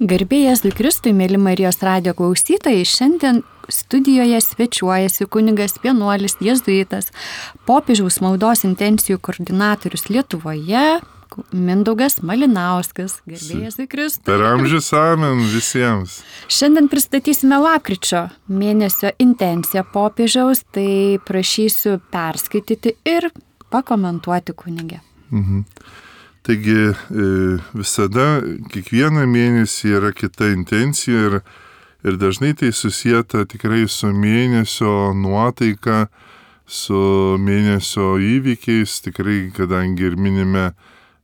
Garbė Jėzui Kristui, mėly Marijos radijo klausytojai, šiandien studijoje svečiuojasi kunigas vienuolis jėzuitas, popiežiaus maldos intencijų koordinatorius Lietuvoje, Mindaugas Malinauskas. Garbė Jėzui Kristui. Per amžius amen visiems. Šiandien pristatysime lapkričio mėnesio intenciją popiežiaus, tai prašysiu perskaityti ir pakomentuoti kunigę. Taigi visada, kiekvieną mėnesį yra kita intencija ir dažnai tai susieta tikrai su mėnesio nuotaika, su mėnesio įvykiais, tikrai kadangi ir minime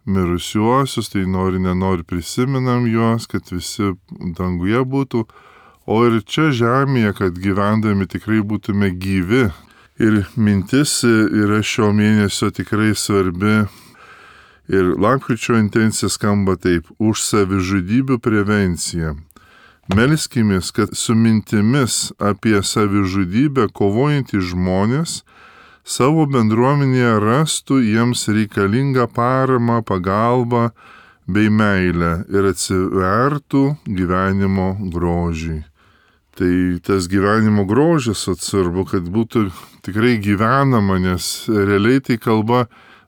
mirusiuosius, tai nenori prisimenam juos, kad visi danguje būtų, o ir čia žemėje, kad gyvendami tikrai būtume gyvi. Ir mintis yra šio mėnesio tikrai svarbi. Ir lapkričio intencija skamba taip: už savižudybių prevenciją. Melskimės, kad su mintimis apie savižudybę kovojantys žmonės savo bendruomenėje rastų jiems reikalingą paramą, pagalbą bei meilę ir atsivertų gyvenimo grožiui. Tai tas gyvenimo grožis atsvarbu, kad būtų tikrai gyvenama, nes realiai tai kalba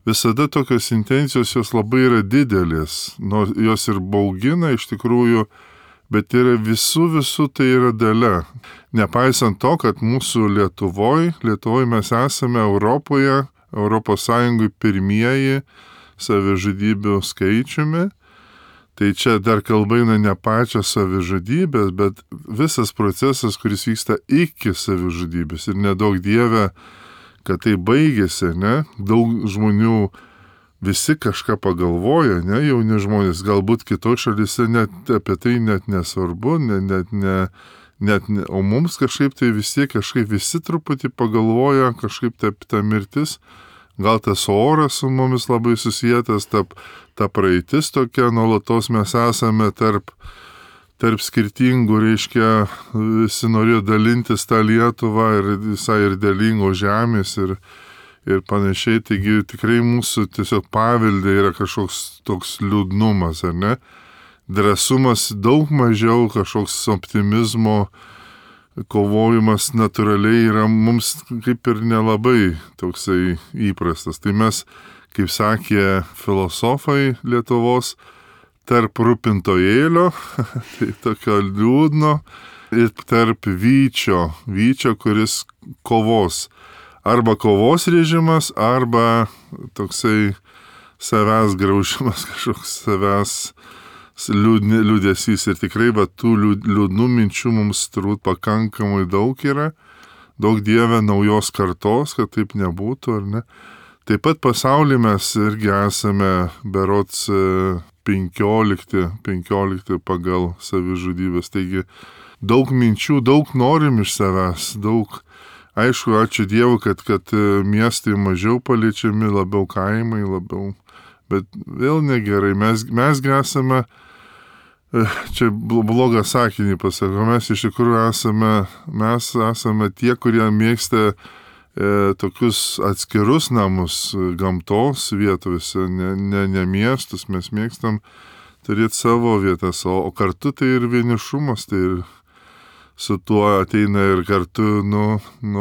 visada tokios intencijos jos labai yra didelės, nors jos ir baugina iš tikrųjų, bet yra visų tai yra dalia. Nepaisant to, kad mūsų Lietuvoje mes esame Europoje, ES pirmieji savižudybių skaičiumi, tai čia dar kalba eina ne pačios savižudybės, bet visas procesas, kuris vyksta iki savižudybės ir nedaug Dieve, kad tai baigėsi, ne? Daug žmonių visi kažką pagalvoja, ne? Jauni žmonės, galbūt kitoj šalyse net apie tai net nesvarbu, o mums kažkaip tai visi truputį pagalvoja, kažkaip ta mirtis, gal tas oras su mumis labai susijęs, ta praeitis tokia, nuolatos mes esame tarp skirtingų, visi norėjo dalintis tą Lietuvą ir visai ir dėlingo žemės ir panašiai. Taigi tikrai mūsų tiesiog pavelde yra kažkoks toks liūdnumas, ar ne? Drąsumas daug mažiau, kažkoks optimizmo kovojimas natūraliai yra mums kaip ir nelabai toksai įprastas. Tai mes, kaip sakė filosofai Lietuvos, tarp rūpintojėlio, tai tokio liūdno, ir tarp vyčio, kuris kovos. Arba kovos režimas, arba toksai savęs graužimas, kažkoks savęs liūdesys. Ir tikrai tų liūdnų minčių mums turbūt pakankamai daug yra. Daug Dieve naujos kartos, kad taip nebūtų, ar ne? Taip pat pasaulyje mes irgi esame berods 15 pagal savižudybės. Taigi daug minčių, daug norim iš savęs, daug. Aišku, ačiū Dievui, kad miestai mažiau paliečiami, labiau kaimai, bet vėl negerai. Mes esame, čia blogą sakinį pasakau, mes iš tikrųjų esame tie, kurie mėgsta tokius atskirus namus gamtos vietose, ne miestus, mes mėgstam turėti savo vietas, o kartu tai ir vienišumas, tai ir su tuo ateina ir kartu,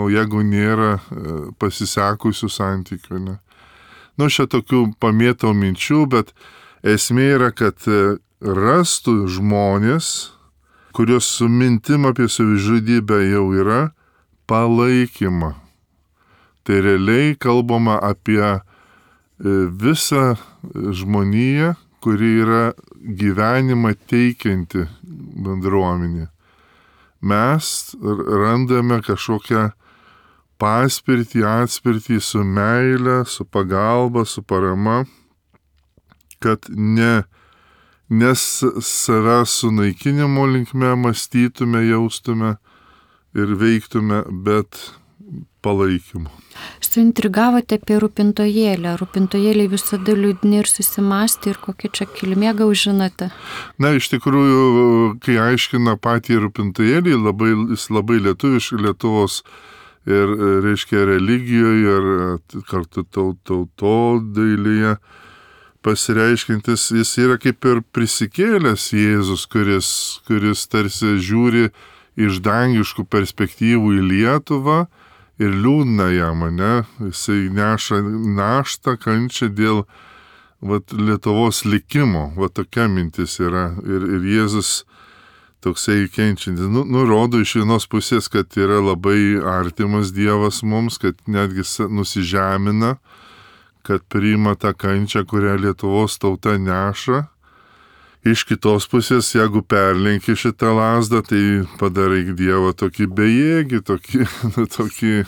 jeigu nėra pasisekusių santykių, ne. Čia tokių pamėtau minčių, bet esmė yra, kad rastų žmonės, kurios su mintim apie savižudybę jau yra, palaikymą. Tai realiai kalbama apie visą žmoniją, kuri yra gyvenimą teikianti bendruomenė. Mes randame kažkokią atspirtį su meile, su pagalba, su parama, kad ne savęs sunaikinimo linkme mąstytume, jaustume ir veiktume, bet palaikymu. Suintrigavote apie rūpintojėlę. Rūpintojėliai visada liūdni ir susimąstė, ir kokia čia kilmė, gal žinote? Iš tikrųjų, kai aiškina patį rūpintojėlį, jis labai lietuviškai, Lietuvos ir, reiškia, religijoje ir kartu tautodailėje pasireiškintis, jis yra kaip ir prisikėlęs Jėzus, kuris tarsi žiūri iš dangiškų perspektyvų į Lietuvą ir liūdna jam, ne? Jisai neša naštą, kančią dėl Lietuvos likimo, tokia mintis yra. Ir Jėzus toksai kenčiantis, nurodo iš vienos pusės, kad yra labai artimas Dievas mums, kad netgi nusižemina, kad priima tą kančią, kurią Lietuvos tauta neša. Iš kitos pusės, jeigu perlenki šitą lazdą, tai padarai Dievą tokį bejėgį, tokį.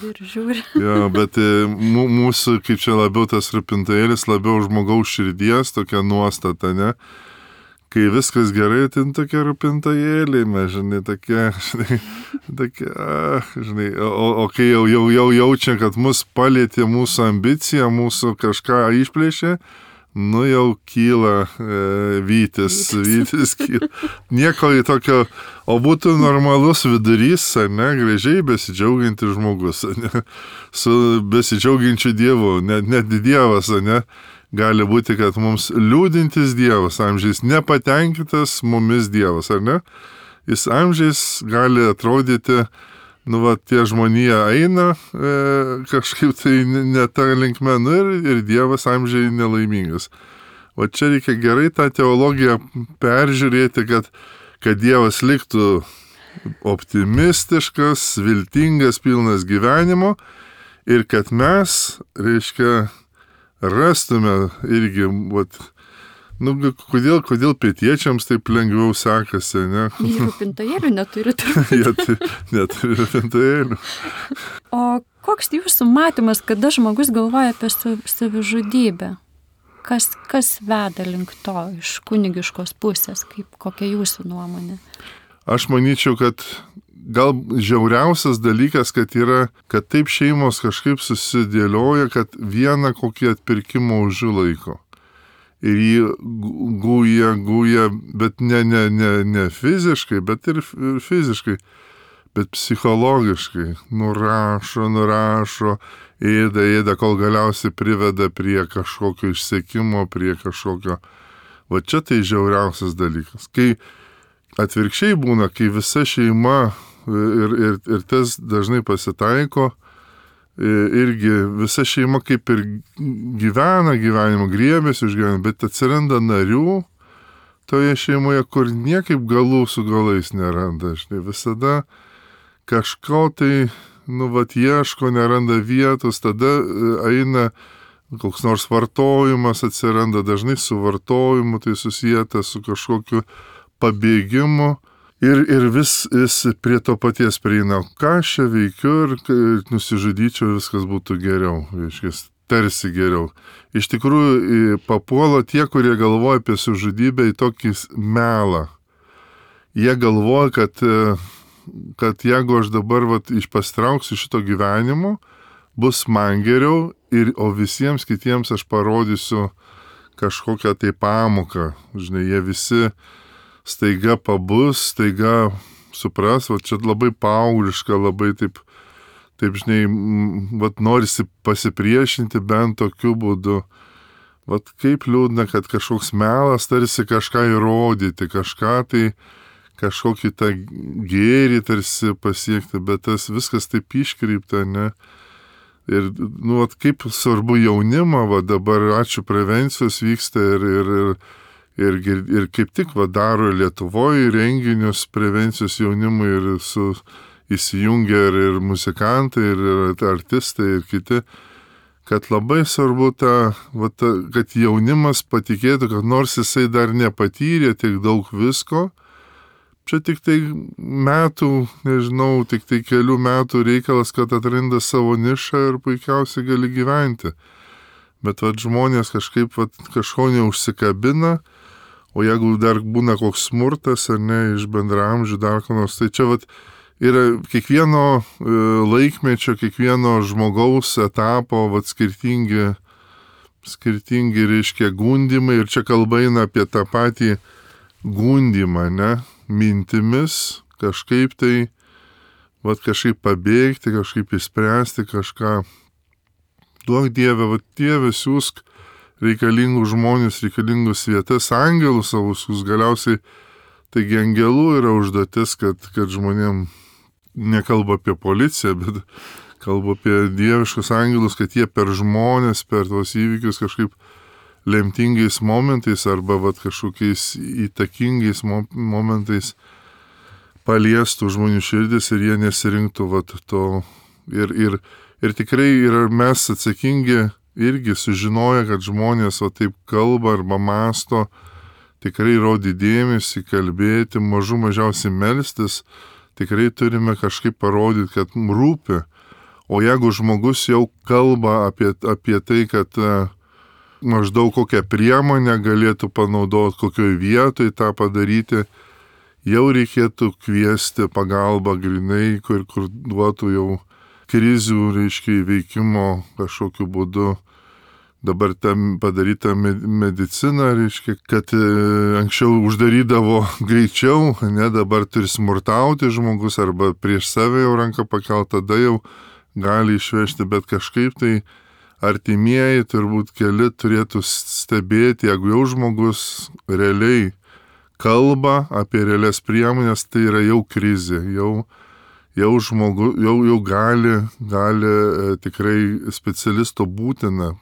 Ir žiūri. Ja, bet mūsų, kaip čia labiau tas rūpintojėlis, labiau žmogaus širdies, tokia nuostata, ne? Kai viskas gerai, tai tokie rūpintojėliai, mes, žinai, tokie, o kai jau jaučia, kad mus palėtė mūsų ambicija, mūsų kažką išplėšė, jau kyla vytis kyla. Nieko į tokio, o būtų normalus vidurys, ne, gražiai besidžiaugiantis žmogus, ne, su besidžiaugiančiu Dievu, net Dievas, ne. Gali būti, kad mums liūdintis Dievas, amžiais nepatenkintas mumis Dievas, ar ne? Jis amžiais gali atrodyti, tie žmonija eina kažkaip tai ne tą linkme, ir Dievas amžiai nelaimingas. O čia reikia gerai tą teologiją peržiūrėti, kad Dievas liktų optimistiškas, viltingas, pilnas gyvenimo ir kad mes, reiškia, rastume irgi, kodėl pietiečiams taip lengviau sekasi, ne? Jie rūpintojėlių neturi. Jie neturi rūpintojėlių. O koks jūsų matymas, kada žmogus galvoja apie savižudybę? Kas veda link to iš kunigiškos pusės? Kokia jūsų nuomonė? Aš manyčiau, kad gal žiauriausias dalykas, kad taip šeimos kažkaip susidėlioja, kad vieną kokį atpirkimo ožių laiko. Ir jį guja, bet ne fiziškai, bet ir fiziškai, bet psichologiškai. Nurašo, ėda, kol galiausiai priveda prie kažkokio išsekimo, prie kažkokio. Čia tai žiauriausias dalykas. Kai atvirkščiai būna, kai visa šeima ir tas dažnai pasitaiko, irgi visa šeima kaip ir gyvena gyvenimą, griebėsi iš gyvenimą, bet atsiranda narių toje šeimoje, kur niekaip galų su galais neranda. Visada kažko tai, ieško, neranda vietos, tada eina koks nors vartojimas, atsiranda dažnai su vartojimu, tai susijęta su kažkokiu pabėgimu. Ir vis prie to paties prieina, ką aš čia veikiu ir nusižudyčiau, viskas būtų geriau, tarsi geriau. Iš tikrųjų, papuola tie, kurie galvoja apie savižudybę į tokį melą. Jie galvoja, kad jeigu aš dabar pastrauksiu šito gyvenimo, bus man geriau, o visiems kitiems aš parodysiu kažkokią tai pamoką. Jie visi staiga pabus, staiga supras, čia labai paaugliška, labai taip, norisi pasipriešinti bent tokiu būdu. Kaip liūdna, kad kažkoks melas tarsi kažką įrodyti, kažkokį tą gėrį tarsi pasiekti, bet tas viskas taip iškreipta, ne? Ir, kaip svarbu jaunimą, dabar ačiū prevencijos vyksta ir kaip tik daro Lietuvoje renginius prevencijos jaunimui ir įsijungia ir muzikantai, ir artistai, ir kiti, kad labai svarbu kad jaunimas patikėtų, kad nors jisai dar nepatyrė tiek daug visko, čia tik tai tik tai kelių metų reikalas, kad atranda savo nišą ir puikiausiai gali gyventi. Bet žmonės kažkaip kažko neužsikabina, o jeigu dar būna koks smurtas, ar ne, iš bendraamžių dar ko nors, tai čia yra kiekvieno laikmečio, kiekvieno žmogaus etapo skirtingi, reiškia, gundimai, ir čia kalba eina apie tą patį gundimą, ne, mintimis, kažkaip tai, kažkaip pabėgti, kažkaip įspręsti kažką. Duok Dieve, Dieve, siūsk reikalingus žmonės, reikalingus vietas, angelus savusius galiausiai. Taigi angelų yra užduotis, kad žmonėm nekalba apie policiją, bet kalba apie dieviškus angelus, kad jie per žmonės, per tos įvykius kažkaip lemtingais momentais arba kažkokiais įtakingais momentais paliestų žmonių širdis ir jie nesirinktų to. Ir tikrai yra mes atsakingi irgi sužinoję, kad žmonės taip kalba arba masto, tikrai rodyti dėmesį, kalbėti, mažiausiai melstis, tikrai turime kažkaip parodyti, kad rūpi. O jeigu žmogus jau kalba apie tai, kad maždaug kokią priemonę galėtų panaudoti, kokioje vietoje tą padaryti, jau reikėtų kviesti pagalbą grinai, kur duotų jau krizių, įveikimo kažkokiu būdu. Dabar tam padaryta medicina, kad anksčiau uždarydavo greičiau, dabar turi smurtauti žmogus arba prieš save jau ranką pakelt, tada jau gali išvežti, bet kažkaip tai artimieji turbūt keli turėtų stebėti, jeigu jau žmogus realiai kalba apie realias priemonės, tai yra jau krizė, jau žmogus jau gali tikrai specialisto būtina.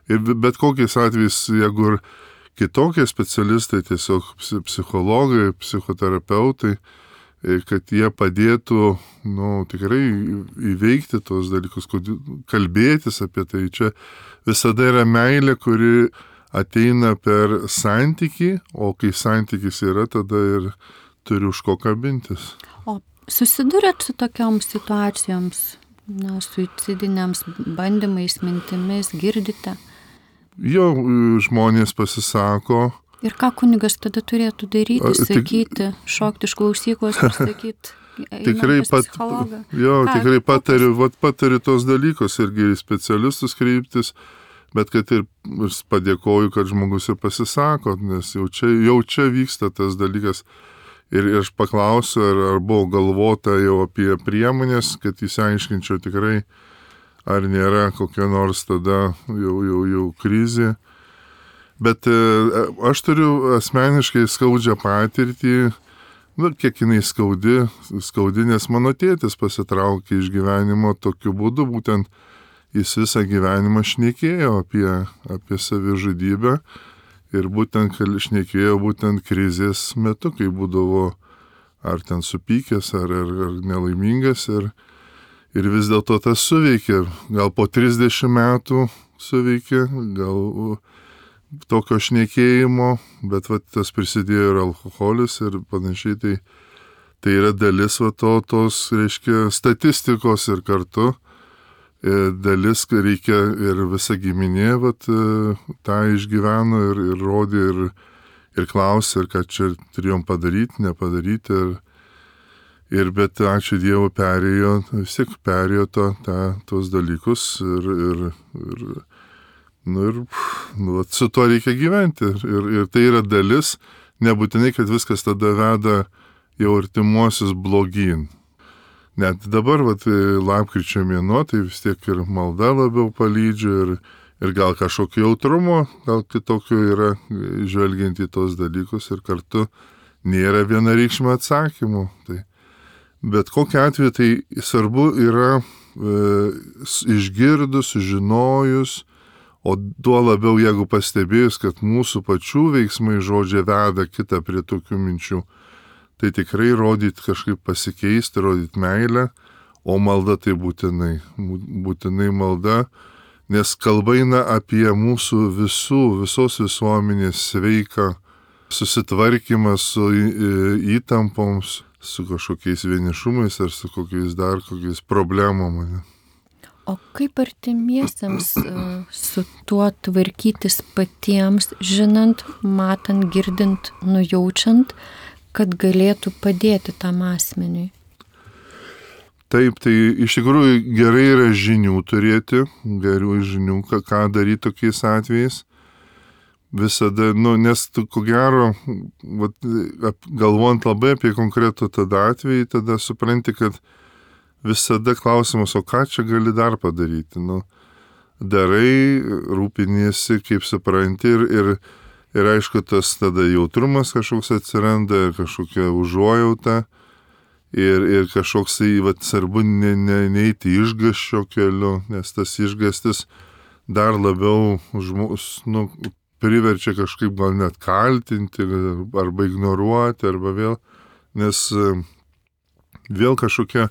Ir bet kokiais atvejais, jeigu ir kitokie specialistai, tiesiog psichologai, psichoterapeutai, kad jie padėtų tikrai įveikti tos dalykus, kalbėtis apie tai. Čia visada yra meilė, kuri ateina per santykį, o kai santykis yra, tada ir turi už ko kabintis. O susidurėt su tokiom situacijoms, suicidiniams bandymais, mintimis, girdite? Jo, žmonės pasisako. Ir ką kunigas tada turėtų daryti, sakyti, šokti iš klausyklos ir sakyti, tikrai tikrai patariu tos dalykus irgi specialistus kreiptis, bet kad ir padėkoju, kad žmogus ir pasisako, nes jau čia vyksta tas dalykas. Ir aš paklausiu, ar buvo galvota jau apie priemonės, kad įsiaiškinčiau tikrai, ar nėra kokia nors tada jau krizė. Bet aš turiu asmeniškai skaudžią patirtį, kiek jinai skaudi, nes mano tėtis pasitraukė iš gyvenimo tokiu būdu, būtent jis visą gyvenimą šnekėjo apie savižudybę ir būtent šnekėjo būtent krizės metu, kai būdavo ar ten supykęs, ar nelaimingas ir vis dėlto tas suveikė, gal po 30 metų suveikė, gal tokio šnekėjimo, bet tas prisidėjo ir alkoholis ir panašiai, tai yra dalis tos, statistikos ir kartu dalis, reikia ir visa giminė tą išgyveno ir rodė ir klausė, ir ką čia turėjom padaryti, nepadaryti. Bet ačiū Dievui vis tiek perėjo tos dalykus ir su tuo reikia gyventi. Ir tai yra dalis, nebūtinai, kad viskas tada veda jau artimuosius blogyn. Net dabar, lapkričio mėnuo, tai vis tiek ir malda labiau palydžia ir gal kažkokio jautrumo, gal kitokio yra žvelgiant į tos dalykus ir kartu nėra vienareikšmio atsakymų. Bet kokiu atveju tai svarbu yra išgirdus, sužinojus, o tuo labiau, jeigu pastebėjus, kad mūsų pačių veiksmai žodžiai veda kitą prie tokių minčių, tai tikrai rodyti kažkaip pasikeisti, rodyti meilę, o malda tai būtinai malda, nes kalba eina apie mūsų visos visuomenės sveiką susitvarkymą su įtampoms, su kažkokiais vienišumais ar su kokiais problemom. O kaip artimiesiems su tuo tvarkytis patiems, žinant, matant, girdint, nujaučiant, kad galėtų padėti tam asmeniui? Taip, tai iš tikrųjų gerai yra žinių turėti, gerų žinių, ką daryti tokiais atvejais. Visada, nes ko gero, galvojant labai apie konkretų tada atvejį, tada supranti, kad visada klausimas, o ką čia gali dar padaryti? darai, rūpiniesi, kaip supranti ir aišku, tas tada jautrumas kažkoks atsiranda, kažkokia užuojauta ir kažkoks svarbu neiti išgąsčio keliu, nes tas išgąstis dar labiau priverčia kažkaip gal net kaltinti arba ignoruoti, arba vėl, nes vėl kažkokia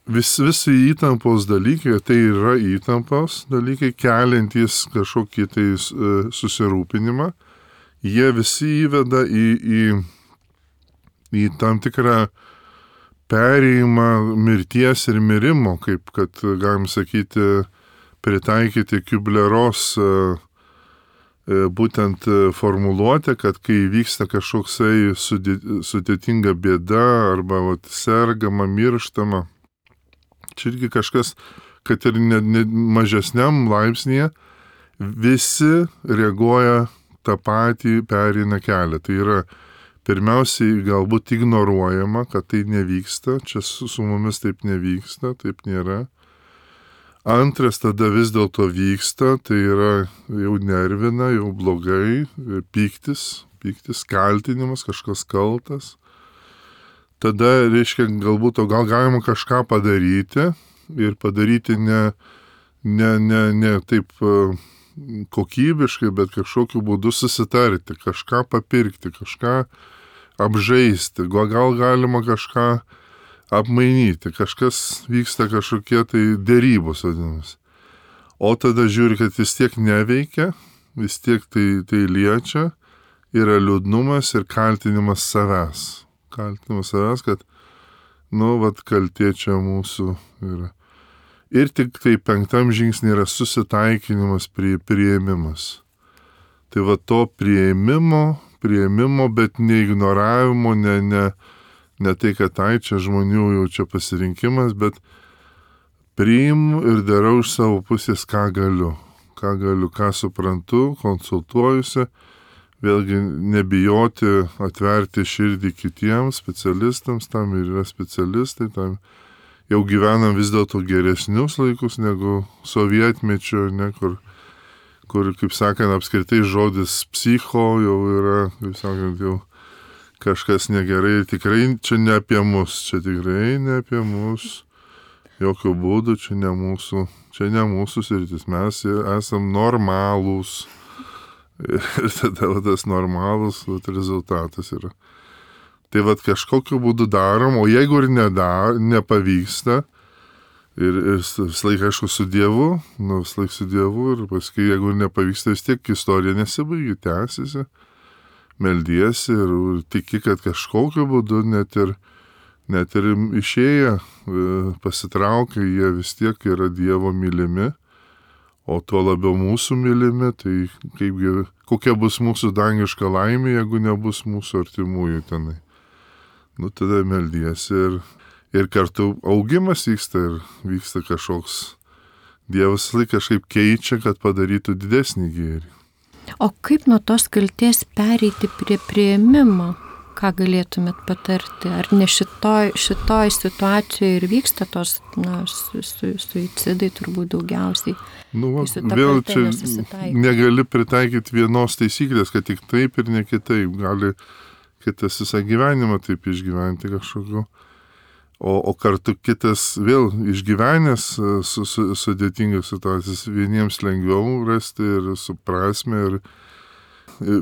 visi įtampos dalykai, tai yra įtampos dalykai, keliantys kažkokį tai susirūpinimą, jie visi įveda į tam tikrą perėjimą mirties ir mirimo, kaip kad, galim sakyti, pritaikyti Kubleros būtent formuluotę, kad kai vyksta kažkoksai sudėtinga bėda arba sergama, mirštama, čia irgi kažkas, kad ir ne mažesniam laipsnėje, visi reaguoja tą patį pereina kelią. Tai yra pirmiausiai galbūt ignoruojama, kad tai nevyksta, čia su mumis taip nevyksta, taip nėra. Antras tada vis dėlto vyksta, tai yra jau nervina, jau blogai, pyktis, kaltinimas, kažkas kaltas. Tada, reiškia, galbūt gal galima kažką padaryti ir padaryti ne taip kokybiškai, bet kažkokiu būdu susitarti, kažką papirkti, kažką apžaisti, gal galima kažką apmainyti, kažkas vyksta kažkokie tai dėrybos vadinamas. O tada žiūri, kad vis tiek neveikia, vis tiek tai liečia, yra liūdnumas ir kaltinimas savęs. Kaltinimas savęs, kad, kaltė čia mūsų yra. Ir tik tai 5 žingsnį yra susitaikinimas, priėmimas. Tai to priėmimo, bet neignoravimo, ne tai, kad čia žmonių jau čia pasirinkimas, bet priimu ir darau iš savo pusės, ką galiu, ką suprantu, konsultuojusi, vėlgi nebijoti atverti širdį kitiems specialistams, tam ir yra specialistai, tam jau gyvenam vis dėlto geresnius laikus negu sovietmečio, kur, kaip sakant, apskritai žodis psicho jau yra, kaip sakant, jau kažkas negerai, tikrai čia ne apie mus, jokių būdų, čia ne mūsų sritis, mes esam normalūs ir tada tas normalus rezultatas yra. Tai kažkokiu būdu darom, o jeigu ir nepavyksta, ir visą laiką, aišku, su Dievu, ir paskui, jeigu nepavyksta, vis tiek istorija nesibaigia, tęsiasi. Meldiesi ir tiki, kad kažkokiu būdu net ir išėję, pasitraukia, jie vis tiek yra Dievo mylimi, o tuo labiau mūsų mylimi, tai kokia bus mūsų dangiška laimė, jeigu nebus mūsų artimųjų tenai. Tada meldiesi ir kartu augimas vyksta ir vyksta kažkoks, Dievas kažkaip keičia, kad padarytų didesnį gėrį. O kaip nuo tos kaltės pereiti prie priėmimo? Ką galėtumėt patarti? Ar ne šitoj situacijoje ir vyksta tos suicidai turbūt daugiausiai? Vėl čia negali pritaikyti vienos taisyklės, kad tik taip ir ne kitaip. Gali kitas visą gyvenimą taip išgyventi kažkokiu. O kartu kitas vėl išgyvenęs sudėtingas situacijas, vieniems lengviau rasti ir suprasme. Ir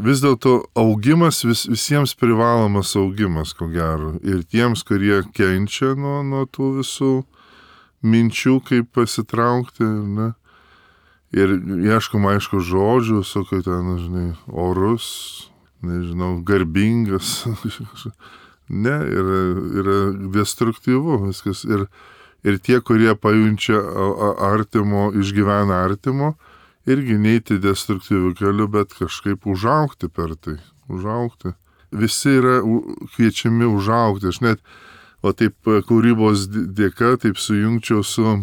vis dėlto augimas, visiems privalomas augimas, ko gero. Ir tiems, kurie kenčia nuo tų visų minčių, kaip pasitraukti. Ne? Ir ieškom, aišku, žodžių, sakau, ten, orus, garbingas. Ne, yra destruktyvu viskas. Ir tie, kurie pajunčia artimo, išgyvena artimo, irgi neiti destruktyvių kelių, bet kažkaip užaugti per tai. Užaugti. Visi yra kviečiami užaugti. Aš net, taip kūrybos dėka, taip sujungčiau su,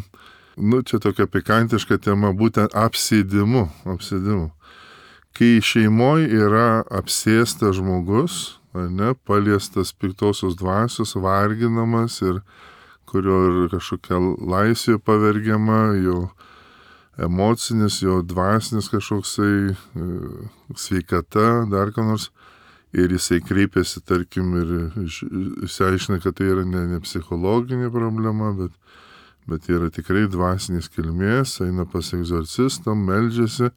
čia tokia pikantiška tema, būtent apsėdimu. Kai šeimoje yra apsėstas žmogus, paliestas piktosios dvasios, varginamas ir kurio ir kažkokia laisvė pavergiama, jo emocinis, jo dvasinis kažkoksai sveikata, dar ką nors. Ir jisai kreipiasi, tarkim, ir išsiaiškina, kad tai yra ne psichologinė problema, bet yra tikrai dvasinės kilmės, eina pas egzorcistą, meldžiasi.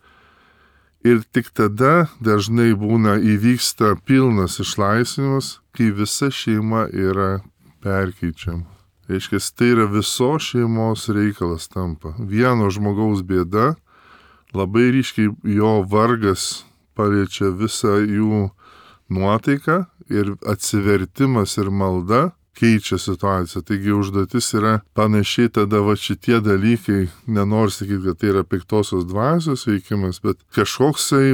Ir tik tada dažnai įvyksta pilnas išlaisvinimas, kai visa šeima yra perkeičiama. Reiškia, tai yra visos šeimos reikalas tampa. Vieno žmogaus bėda, labai ryškiai jo vargas paliečia visą jų nuotaiką ir atsivertimas ir malda keičia situaciją. Taigi užduotis yra panašiai tada šitie dalykai, nenoriu sakyti, kad tai yra piktosios dvasios veikimas, bet kažkoksai,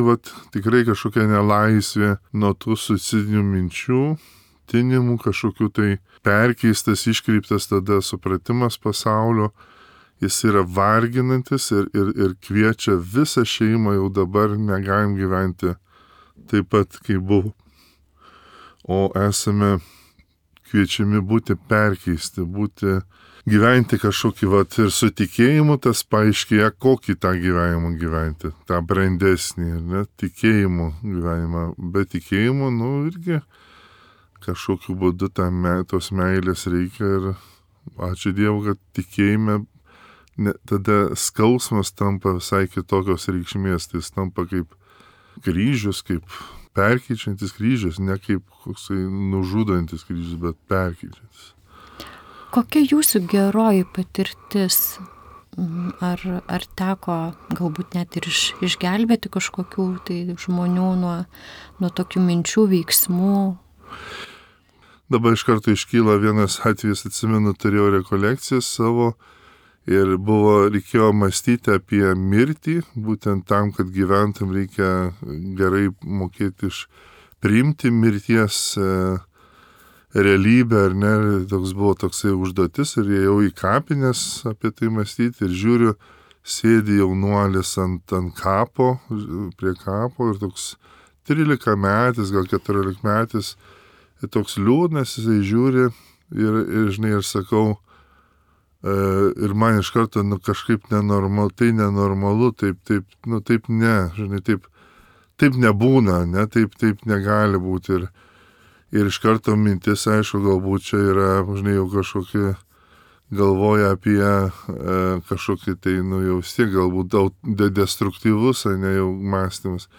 tikrai kažkokia nelaisvė nuo tų suicidinių minčių, tinimų, kažkokių tai perkeistas, iškreiptas tada supratimas pasaulio, jis yra varginantis ir kviečia visą šeimą, jau dabar negalim gyventi taip pat, kaip buvo. O esame kviečiami būti perkeisti, gyventi kažkokį ir su tikėjimu tas paaiškėja, kokį tą gyvenimą gyventi, tą brandesnį, ne, tikėjimo gyvenimą. Be tikėjimo, irgi kažkokiu būdu tos meilės reikia ir ačiū Dievui, kad tikėjime tada skausmas tampa visai kitokios reikšmės, tai jis tampa kaip kryžius, kaip perkeičiantis kryžius, ne kaip koksai nužudantis kryžius, bet perkeičiantis. Kokia jūsų geroji patirtis? Ar teko galbūt net ir išgelbėti kažkokių tai žmonių nuo tokių minčių, veiksmų? Dabar iš karto iškyla vienas atvejis, atsimenu, turėjau rekolekcijas savo ir reikėjo mąstyti apie mirtį, būtent tam, kad gyventum reikia gerai mokėti priimti mirties realybę, ar ne, toks buvo toksai užduotis ir ėjau į kapines apie tai mąstyti ir žiūriu, sėdi jaunuolis ant kapo, prie kapo ir toks 13 metis, gal 14 metis, ir toks liūdnas, jisai žiūri ir sakau, ir man iš karto, kažkaip nenormalu, tai nenormalu, taip ne, taip nebūna, ne, taip negali būti. Ir iš karto mintis, aišku, galbūt čia yra, jau kažkokie galvoja apie kažkokį tai, jau vis tiek galbūt destruktyvus, ne jau mąstymas.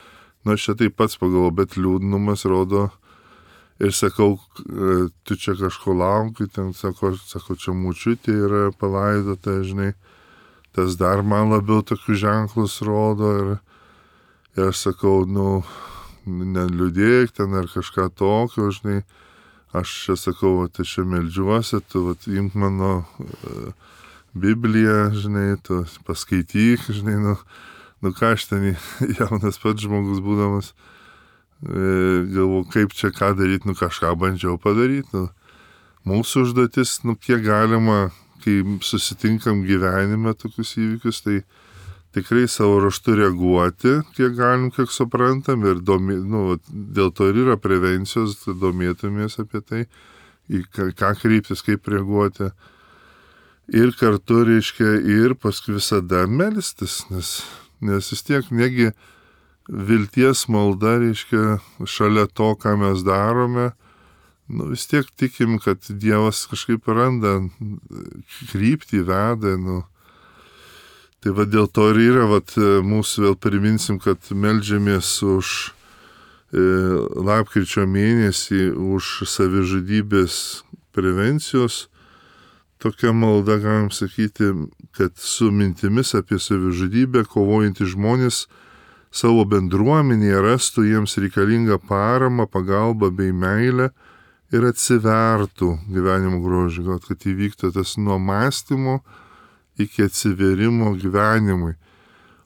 Aš čia taip pats pagalvoju, bet liūdnumas rodo. Ir sakau, tu čia kažko lauki, ten sako, čia močiutė yra palaidota, žinai, tas dar man labiau tokius ženklus rodo ir aš sakau, neliūdėk ten ar kažką tokio, žinai, aš čia sakau, aš čia meldžiuosi, tu imk mano Bibliją, žinai, tu paskaityk, žinai, ką aš ten jaunas pats žmogus būdamas, galvoju, kaip čia ką daryti, kažką bandžiau padaryti. Mūsų užduotis, kiek galima, kai susitinkam gyvenime tokius įvykius, tai tikrai savo raštu reaguoti, kiek galim, kiek suprantam ir dėl to ir yra prevencijos, domėtumės apie tai, į ką kreiptis, kaip reaguoti. Ir kartu, reiškia, ir paskui visada melstis, nes vis tiek negi vilties malda, reiškia, šalia to, ką mes darome, vis tiek tikim, kad Dievas kažkaip randa kryptį, veda, Tai dėl to ir yra, mūsų vėl priminsim, kad meldžiamės už lapkričio mėnesį, už savižudybės prevencijos. Tokia malda, galim sakyti, kad su mintimis apie savižudybę kovojantys žmonės savo bendruomenėje rastų jiems reikalingą paramą, pagalbą bei meilę ir atsivertų gyvenimo grožį, kad įvyktų tas nuo mąstymo iki atsiverimo gyvenimui.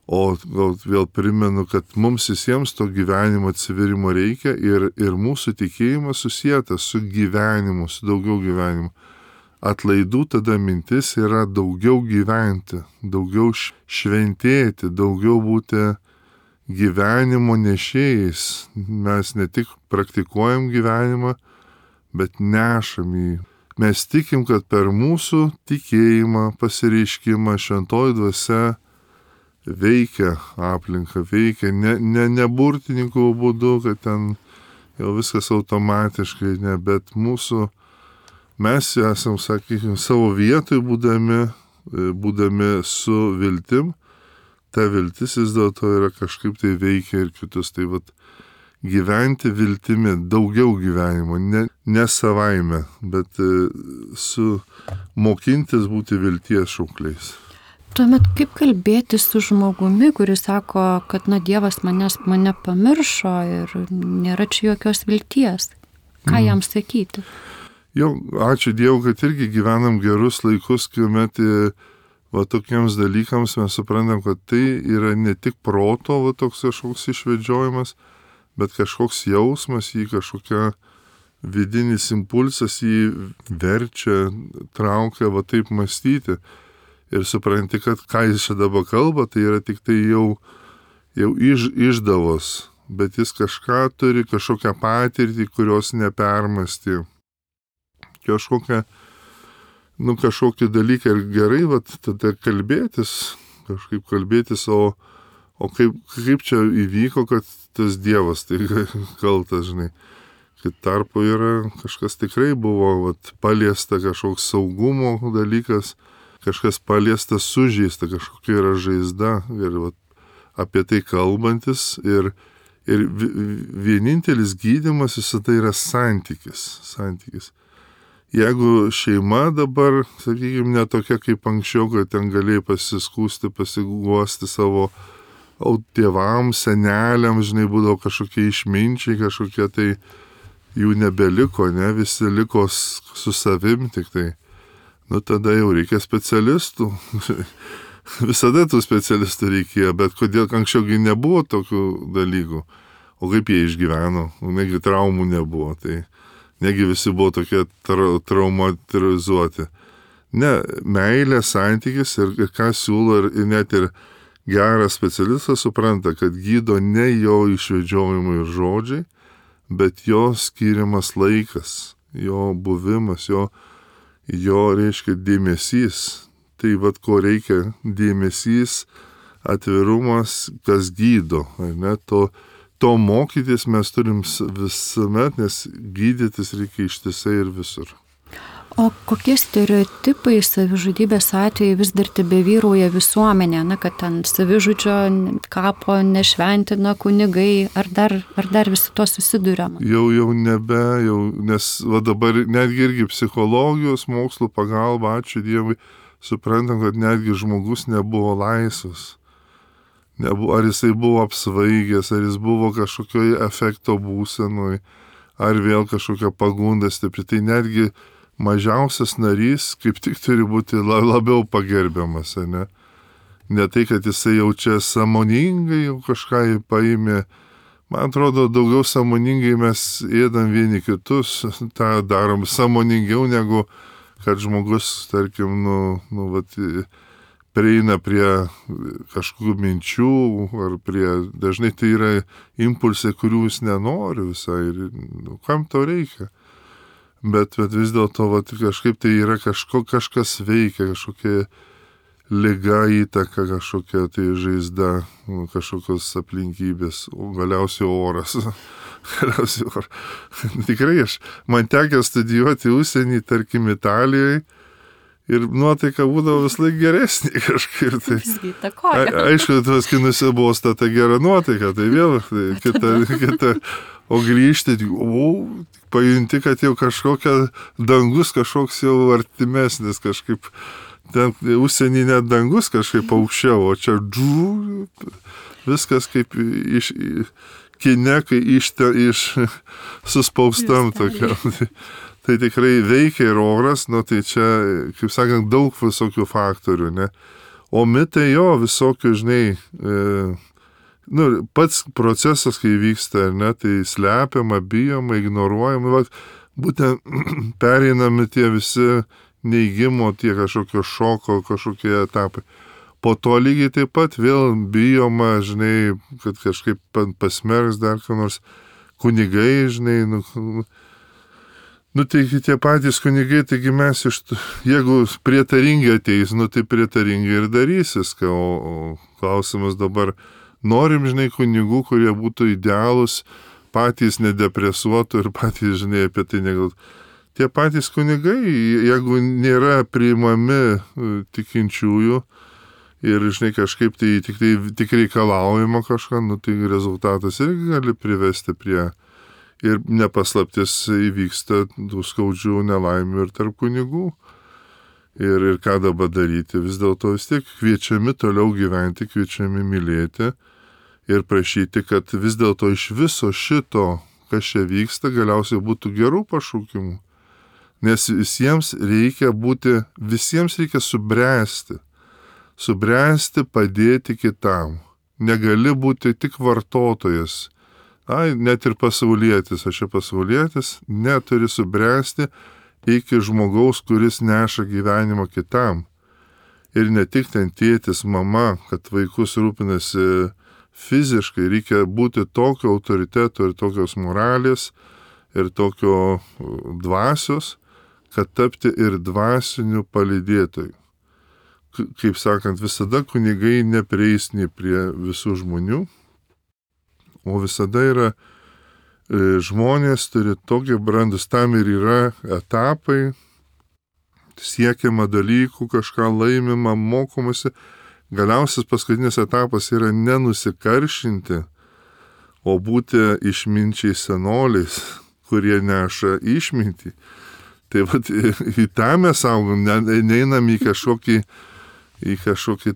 O gal vėl primenu, kad mums visiems to gyvenimo atsiverimo reikia ir mūsų tikėjimas susietas su gyvenimu, su daugiau gyvenimu. Atlaidų tada mintis yra daugiau gyventi, daugiau šventėti, daugiau būti gyvenimo nešėjais. Mes ne tik praktikuojam gyvenimą, bet nešam jį. Mes tikim, kad per mūsų tikėjimą, pasireiškimą šventoji dvasia veikia aplinką, veikia ne burtininkų būdu, kad ten jau viskas automatiškai, ne, bet mes esam, sakykime, savo vietoj būdami su viltim, ta viltis vis dėlto yra kažkaip tai veikia ir kitus. Tai vat gyventi viltimi, daugiau gyvenimo, ne savaime, bet mokintis būti vilties šaukliais. Tuomet kaip kalbėti su žmogumi, kuris sako, kad Dievas mane pamiršo ir nėra čia jokios vilties? Ką jam sakyti? Jau, ačiū Dievui, kad irgi gyvenam gerus laikus, kuomet tokiems dalykams mes suprantam, kad tai yra ne tik proto toks kažkoks išvedžiojimas, bet kažkoks jausmas, jį kažkokia vidinis impulsas jį verčia, traukia taip mąstyti. Ir supranti, kad ką jis čia dabar kalba, tai yra tik tai jau išdavos, bet jis kažką turi, kažkokią patirtį, kurios nepermąstė. Kažkokį dalyką ir gerai, tada kalbėtis, o kaip čia įvyko, kad tas Dievas tai kaltas, žinai. Kad tarpu yra kažkas tikrai buvo paliesta, kažkoks saugumo dalykas, kažkas paliestas, sužeista, kažkokia yra žaizda ir apie tai kalbantis ir vienintelis gydymas visada yra santykis. Jeigu šeima dabar, sakykime, ne tokia kaip anksčiau, kad ten galėjai pasiskūsti, pasiguosti savo tėvams, seneliams, žinai, būdavo kažkokie išminčiai, kažkokie tai jų nebeliko, ne, visi liko su savim tik tai. Tada jau reikia specialistų. Visada tų specialistų reikėjo, bet kodėl anksčiaugi nebuvo tokių dalykų. O kaip jie išgyveno, negi traumų nebuvo, tai negi visi buvo tokie traumatizuoti. Ne, meilė, santykis ir ką siūlo ir net ir geras specialistas supranta, kad gydo ne jo išvedžiojimai ir žodžiai, bet jo skiriamas laikas, jo buvimas, jo reiškia dėmesys. Tai ko reikia, dėmesys, atvirumas, kas gydo. Ne? To mokytis mes turim visuomet, nes gydytis reikia ištisai ir visur. O kokie stereotipai savižudybės atveju vis dar tebevyrauja visuomenė, kad ten savižudžio kapo nešventina kunigai, ar dar visi to susiduriama? Jau nebe, nes dabar netgi irgi psichologijos mokslų pagalba, ačiū Dievui, suprantam, kad netgi žmogus nebuvo laisvas. Ar jisai buvo apsvaigęs, ar jis buvo kažkokioje efekto būsenoj, ar vėl kažkokia pagunda stipri. Tai netgi mažiausias narys kaip tik turi būti labiau pagerbiamas, ne? Ne tai, kad jisai jau čia sąmoningai jau kažką paėmė. Man atrodo, daugiau sąmoningai mes ėdam vieni kitus, tą darom sąmoningiau negu kad žmogus, tarkim, prieina prie kažkokių minčių, ar dažnai tai yra impulsai, kurių jis nenori visai, ir kam to reikia. Bet vis dėlto kažkaip tai yra kažkas veikia, kažkokia liga, įtaka, kažkokia tai žaizda, kažkokios aplinkybės, o galiausiai oras. Tikrai man tekė studijuoti užsienį, tarkim, Italijoje, ir nuotaika būdavo vis laik geresnė kažkaip. Aišku, tuos kinuose buvo stata gera nuotaika, tai vėl kita. O grįžti, pajunti, kad jau kažkokia dangus, kažkoks jau artimesnis, kažkaip ten užsienį net dangus kažkaip aukščiau, o čia viskas kaip kine, kai iš suspaustam tokiam. Tai tikrai veikia ir oras, tai čia, kaip sakant, daug visokių faktorių, ne? O mitai jo visokių, žinai, pats procesas, kai vyksta, ne, tai slepiama, bijoma, ignoruojama, būtent pereinami tie visi neigimo, tie kažkokio šoko, kažkokie etapai. Po to lygiai taip pat vėl bijoma, žinai, kad kažkaip pasmerks dar ką nors kunigai, žinai, Nu, tai tie patys kunigai, taigi mes jeigu prietaringi ateis, nu, tai prietaringi ir darysis, o klausimas dabar, norim, žinai, kunigų, kurie būtų idealūs, patys nedepresuotų ir patys, žinai, apie tai negalvotų. Tie patys kunigai, jeigu nėra priimami tikinčiųjų ir, žinai, kažkaip tai tik reikalaujama kažką, nu, tai rezultatas irgi gali privesti prie. Ir nepaslaptis įvyksta tų skaudžių nelaimių ir tarp kunigų. Ir ką dabar daryti? Vis dėlto vis tiek kviečiami toliau gyventi, kviečiami mylėti ir prašyti, kad vis dėlto iš viso šito, kas čia vyksta, galiausiai būtų gerų pašaukimų. Nes visiems reikia subręsti. Subręsti, padėti kitam. Negali būti tik vartotojas. Net ir pasaulietis, aš čia pasaulietis, neturi subręsti iki žmogaus, kuris neša gyvenimą kitam. Ir ne tik ten tėtis, mama, kad vaikus rūpinasi fiziškai, reikia būti tokio autoriteto ir tokios moralės ir tokio dvasios, kad tapti ir dvasiniu palydėtoju. Kaip sakant, visada kunigai neprieis nei prie visų žmonių, o visada yra žmonės turi tokie brandus, tam ir yra etapai, siekiama dalykų, kažką laimima, mokomasi. Galiausias paskutinis etapas yra nenusikaršinti, o būti išminčiai senoliais, kurie neša išmintį. Tai vat, į tą mes augam, neinam į kažkokį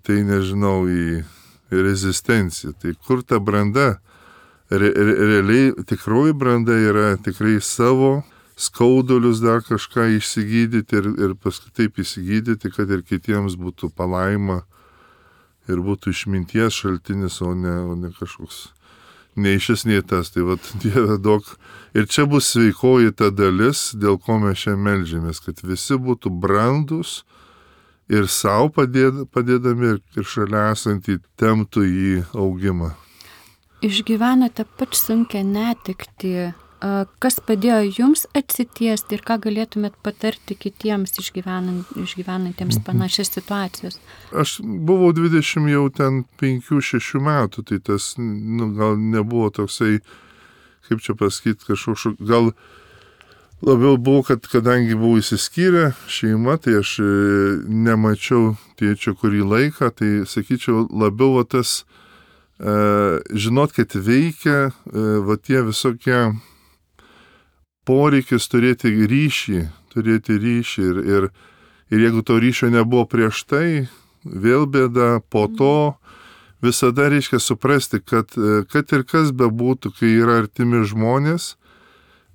tai, nežinau, į rezistenciją. Tai kur ta branda? Realiai tikroji branda yra tikrai savo skaudulius dar kažką išsigydyti ir paskui taip išsigydyti, kad ir kitiems būtų palaima ir būtų išminties šaltinis, o ne kažkoks neišis nei tas. Tai vat, Dieve daug. Ir čia bus sveikoji ta dalis, dėl ko mes čia meldžiamės, kad visi būtų brandus ir savo padėdami ir šalia esantį temptų į augimą. Išgyvenate pač sunkią netektį. Kas padėjo jums atsitiesti ir ką galėtumėt patarti kitiems išgyvenantiems panašias situacijas? Aš buvau 20 jau ten 5-6 metų, tai tas gal nebuvo toksai, kaip čia pasakyti, kažkoks, gal labiau buvo, kad kadangi buvau įsiskyrę šeima, tai aš nemačiau tėčio kurį laiką, tai sakyčiau labiau tas žinot, kad veikia tie visokie poreikis turėti ryšį ir jeigu to ryšio nebuvo prieš tai, vėl bėda, po to visada reikia suprasti, kad ir kas bebūtų, kai yra artimi žmonės,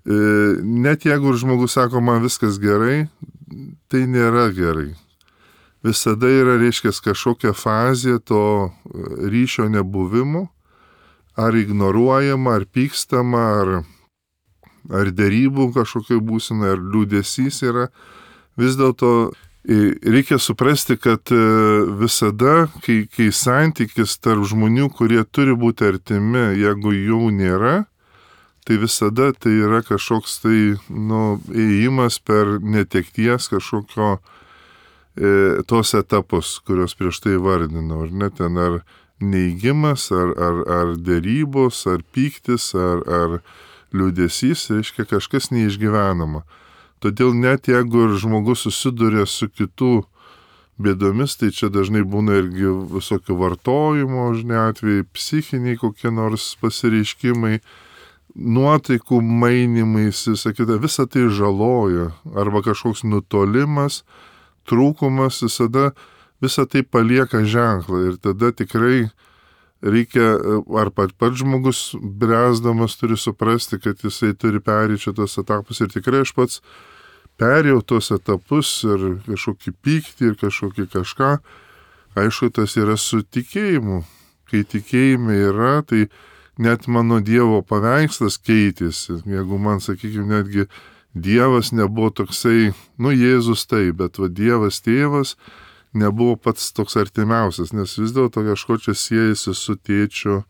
net jeigu žmogus sako, man viskas gerai, tai nėra gerai. Visada yra, reiškia, kažkokia fazė to ryšio nebuvimo, ar ignoruojama, ar pykstama, ar dėrybų kažkokia būsena, ar liūdesys yra. Vis dėlto reikia suprasti, kad visada, kai santykis tarp žmonių, kurie turi būti artimi, jeigu jų nėra, tai visada tai yra kažkoks ėjimas per netekties kažkokio tos etapus, kurios prieš tai vardinau, ar ne, ten ar neigimas, ar dėrybos, ar pyktis, ar liūdesys, reiškia kažkas neišgyvenama. Todėl net jeigu ir žmogus susiduria su kitų bėdomis, tai čia dažnai būna irgi visokio vartojimo, žinai, atvejai, psichiniai kokie nors pasireiškimai, nuotaikų mainimais, visa tai žaloja, arba kažkoks nutolimas, trūkumas, visą tai palieka ženklą ir tada tikrai reikia, ar pats žmogus bręsdamas turi suprasti, kad jisai turi perėti tos etapus ir tikrai aš pats perėjau tos etapus ir kažkokį pyktį ir kažkokį kažką, aišku, tas yra su tikėjimu. Kai tikėjime yra, tai net mano Dievo paveikslas keitėsi. Jeigu man, sakykime, netgi Dievas nebuvo toksai, Jėzus taip, bet Dievas tėvas nebuvo pats toks artimiausias, nes vis dėlto kažko čia siejasi su tėčiu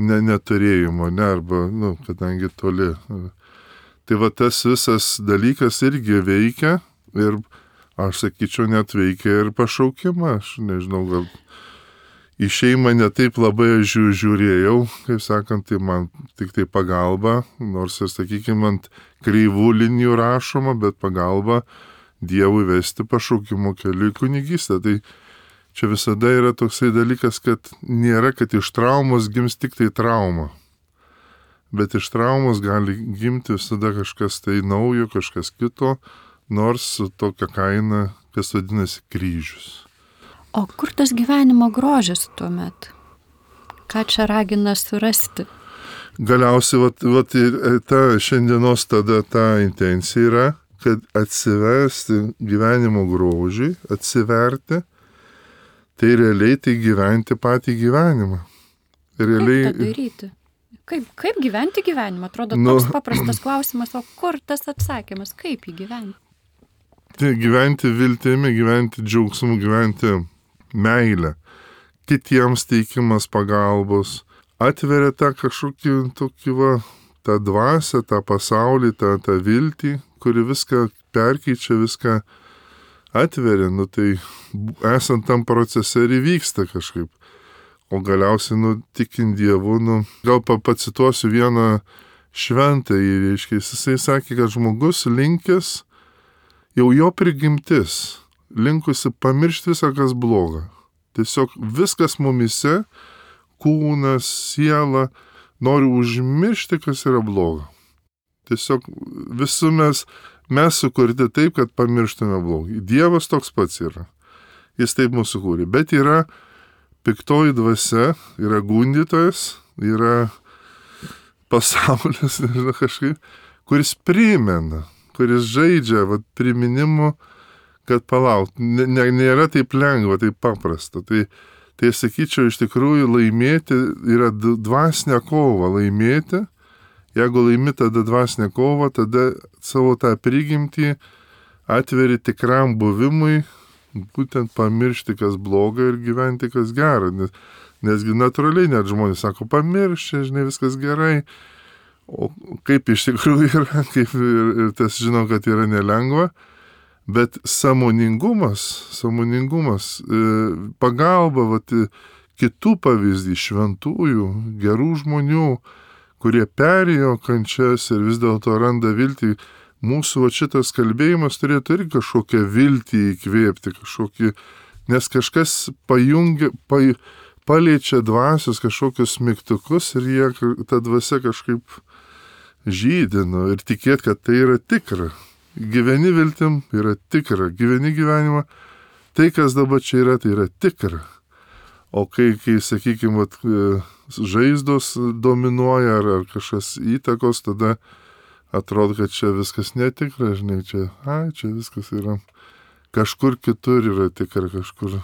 neturėjimo, arba, kadangi toli. Tai va tas visas dalykas irgi veikia ir aš sakyčiau net veikia ir pašaukimą, aš nežinau, gal į šeimą netaip labai žiūrėjau, kaip sakant, tai man tik tai pagalba, nors ir, sakykime, ant kreivų linijų rašoma, bet pagalba Dievui vesti pašaukimo keliu į kunigystę. Tai čia visada yra toksai dalykas, kad nėra, kad iš traumos gims tik tai trauma. Bet iš traumos gali gimti visada kažkas tai naujo, kažkas kito, nors su tokia kaina, kas vadinasi kryžius. O kur tas gyvenimo grožis tuomet? Ką čia ragina surasti? Galiausiai, ta šiandienos tada ta intencija yra, kad atsiversti gyvenimo grožį, atsiverti, tai realiai tai gyventi patį gyvenimą. Realiai... Kaip tą daryti? Kaip gyventi gyvenimą? Atrodo, toks paprastas klausimas, o kur tas atsakymas? Kaip jį gyventi? Tai gyventi viltimi, gyventi džiaugsmu, gyventi meilę. Kitiems teikimas pagalbos. Atveria tą kažkokį tokį tą dvasią, tą pasaulį, tą viltį, kuri viską perkeičia, viską atveria. Tai esant tam procese ir įvyksta kažkaip. O galiausiai, tikint Dievu, gal pacituosiu vieną šventąjį, reiškia, jisai sakė, kad žmogus linkęs, jau jo prigimtis, linkusi pamiršti visą, kas bloga. Tiesiog viskas mumise, kūnas, siela, nori užmiršti, kas yra bloga. Tiesiog visų mes sukurti taip, kad pamirštume blogį. Dievas toks pats yra. Jis taip mūsų kūrė. Bet yra piktoji dvasia, yra gundytojas, yra pasaulis, nežinau, kažkaip, kuris primena, kuris žaidžia priminimu, kad palauk, nėra taip lengva, taip paprasta. Tai sakyčiau, iš tikrųjų laimėti yra dvasinė kova laimėti. Jeigu laimi tada dvasinė kova, tada savo tą prigimtį atveri tikram buvimui, būtent pamiršti, kas bloga ir gyventi, kas gera. Nesgi natūraliai net žmonės sako, pamiršti, žinai, viskas gerai. O kaip iš tikrųjų yra, kaip ir tas žinau, kad yra nelengva. Bet sąmoningumas, pagalba, kitų pavyzdį, šventųjų, gerų žmonių, kurie perėjo kančias ir vis dėlto randa viltį. Mūsų šitas kalbėjimas turėtų irgi kažkokią viltį įkvėpti, nes kažkas paliečia dvasios kažkokius mygtukus ir ta dvasia kažkaip žydino ir tikėt, kad tai yra tikra. Gyveni viltim yra tikra, gyveni gyvenimą, tai kas dabar čia yra, tai yra tikra. O kai sakykime, žaizdos dominuoja ar kažkas įtakos, tada atrodo, kad čia viskas netikra, žinai, čia viskas yra, kažkur kitur yra tikra, kažkur.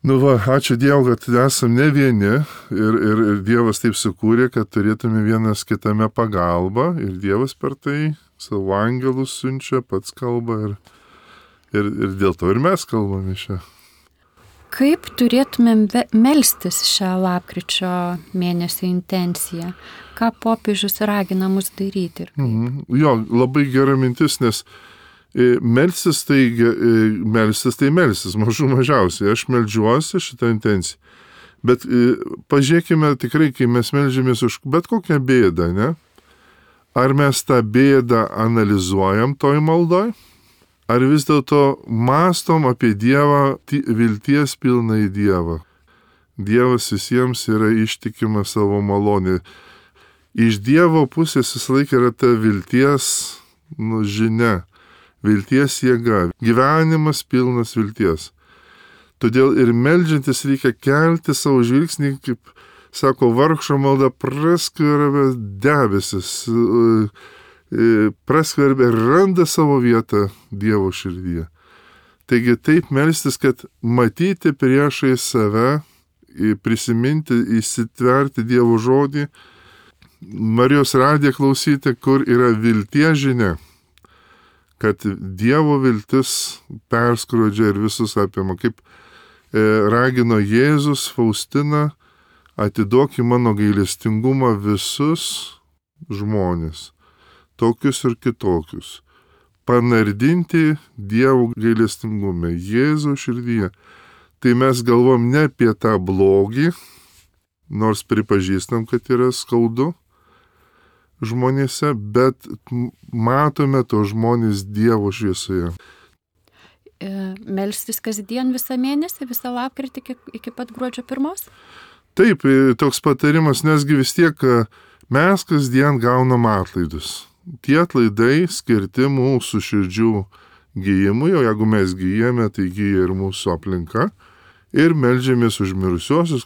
Ačiū Dievui, kad esam ne vieni ir Dievas taip sukūrė, kad turėtume vienas kitame pagalbą ir Dievas per tai savo angelus siunčia, pats kalba ir dėl to ir mes kalbame šią. Kaip turėtumėm melstis šią lapkričio mėnesio intenciją? Ką popiežius ragina mus daryti? Jo, labai gera mintis, nes melstis tai melstis, mažiausiai. Aš meldžiuosi šitą intenciją. Bet pažiūrėkime tikrai, kai mes meldžiamės už bet kokią bėdą, ne? Ar mes tą bėdą analizuojam toj maldoj? Ar vis dėlto mąstom apie Dievą, vilties pilną į Dievą? Dievas visiems yra ištikimas savo malonė. Iš Dievo pusės visą laiką yra ta vilties žinia, vilties jėga, gyvenimas pilnas vilties. Todėl ir meldžiantis reikia kelti savo žvilgsnį, kaip sako, vargšo malda praskverbia debesis, praskverbia ir randa savo vietą Dievo širdyje. Taigi taip melstis, kad matyti priešai save, prisiminti, įsitverti Dievo žodį, Marijos radiją klausyti, kur yra vilties žinia, kad Dievo viltis perskrodžia ir visus apima, kaip ragino Jėzus Faustiną, atiduok į mano gailestingumą visus žmonės. tokius ir kitokius. Panardinti Dievo gailestingume, Jėzaus širdyje. Tai mes galvom ne apie tą blogį, nors pripažįstam, kad yra skaudu žmonėse, bet matome to žmonės Dievo šviesoje. Melstis kasdien visą mėnesį, visą lapkritį iki pat gruodžio 1? Taip, toks patarimas, nesgi vis tiek mes kasdien gaunam atlaidus. Tie atlaidai skirti mūsų širdžių gyjimui, o jeigu mes gyjame, tai gyja ir mūsų aplinka. Ir meldžiamės už mirusiuosius.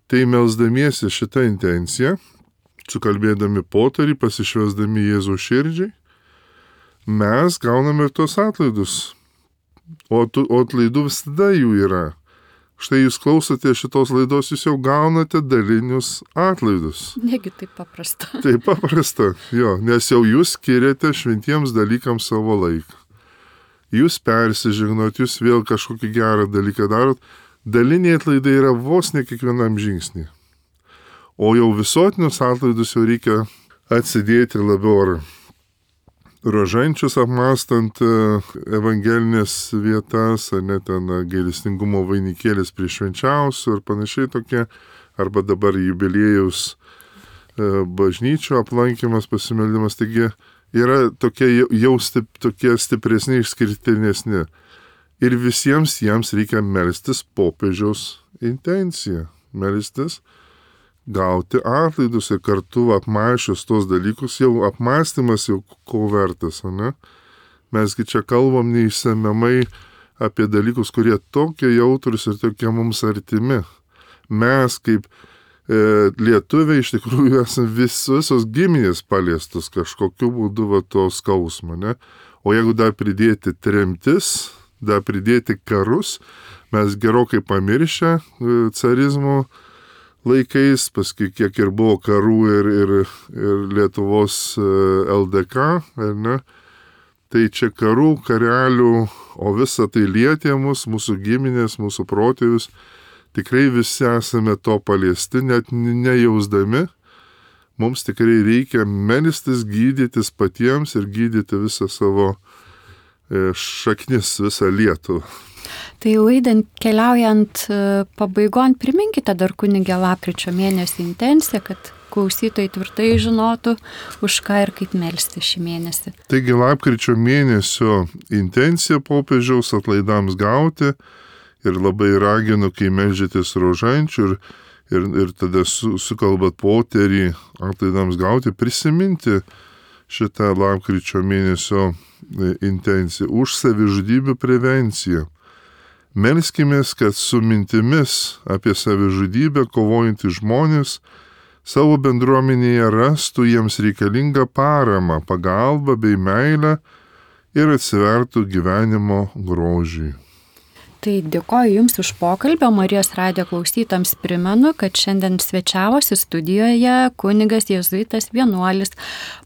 Tai melsdamiesi šitą intenciją, sukalbėdami potarį, pasišvesdami Jėzaus širdžiai, mes gauname ir tos atlaidus. O atlaidų visada jų yra. Štai jūs klausote šitos laidos, jūs jau gaunate dalinius atlaidus. Negi taip paprasta. Taip paprasta, jo, nes jau jūs skiriate šventiems dalykams savo laiką. Jūs persižegnot, jūs vėl kažkokį gerą dalyką darot. Daliniai atlaidai yra vos ne kiekvienam žingsnį. O jau visuotinius atlaidus jau reikia atsidėti labiau ar rožančius apmastant evangelinės vietas, ar net ten gailestingumo vainikėlis prie švenčiausių ir panašiai tokie, arba dabar jubiliejaus bažnyčių aplankymas, pasimeldimas, taigi yra tokie jau tokie stipresni, išskirtinesni. Ir visiems jiems reikia melstis popiežiaus intenciją, melstis gauti atlaidus ir kartu apmąsčius tos dalykus, jau apmąstymas jau ko vertas, ne? Mesgi čia kalbam neišsemiamai apie dalykus, kurie tokie jautrus ir tokie mums artimi. Mes kaip lietuviai iš tikrųjų esame visos giminės paliestos kažkokiu būdu va to skausmo, ne? O jeigu dar pridėti tremtis, dar pridėti karus, mes gerokai pamiršę carizmo laikais, paskui kiek ir buvo karų ir Lietuvos LDK, ne? Tai čia karų, karelių, o visa tai lietė mus, mūsų giminės, mūsų protėvius. Tikrai visi esame to paliesti, net nejausdami. Mums tikrai reikia melstis, gydytis patiems ir gydyti visą savo šaknis, visą Lietuvą. Tai laidant, keliaujant pabaigon, priminkite dar kunigė lapkričio mėnesio intenciją, kad klausytojai tvirtai žinotų, už ką ir kaip melsti šį mėnesį. Taigi lapkričio mėnesio intencija popiežiaus atlaidams gauti ir labai raginu, kai meldžiatės rožančių ir tada sukalbat poterį atlaidams gauti, prisiminti šitą lapkričio mėnesio intenciją už savižudybių prevenciją. Melskimės, kad su mintimis apie savižudybę kovojantys žmonės savo bendruomenėje rastų jiems reikalingą paramą, pagalbą bei meilę ir atsivertų gyvenimo grožiui. Tai dėkoju Jums už pokalbį, Marijos radijo klausytams primenu, kad šiandien svečiavosi studijoje kunigas jėzuitas vienuolis,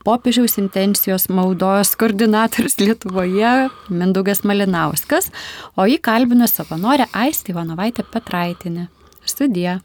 popiežiaus intencijos maldos koordinatorius Lietuvoje Mindaugas Malinauskas, o jį kalbino savanorė Aistė Ivanovaitė Petraitienė. Sudie.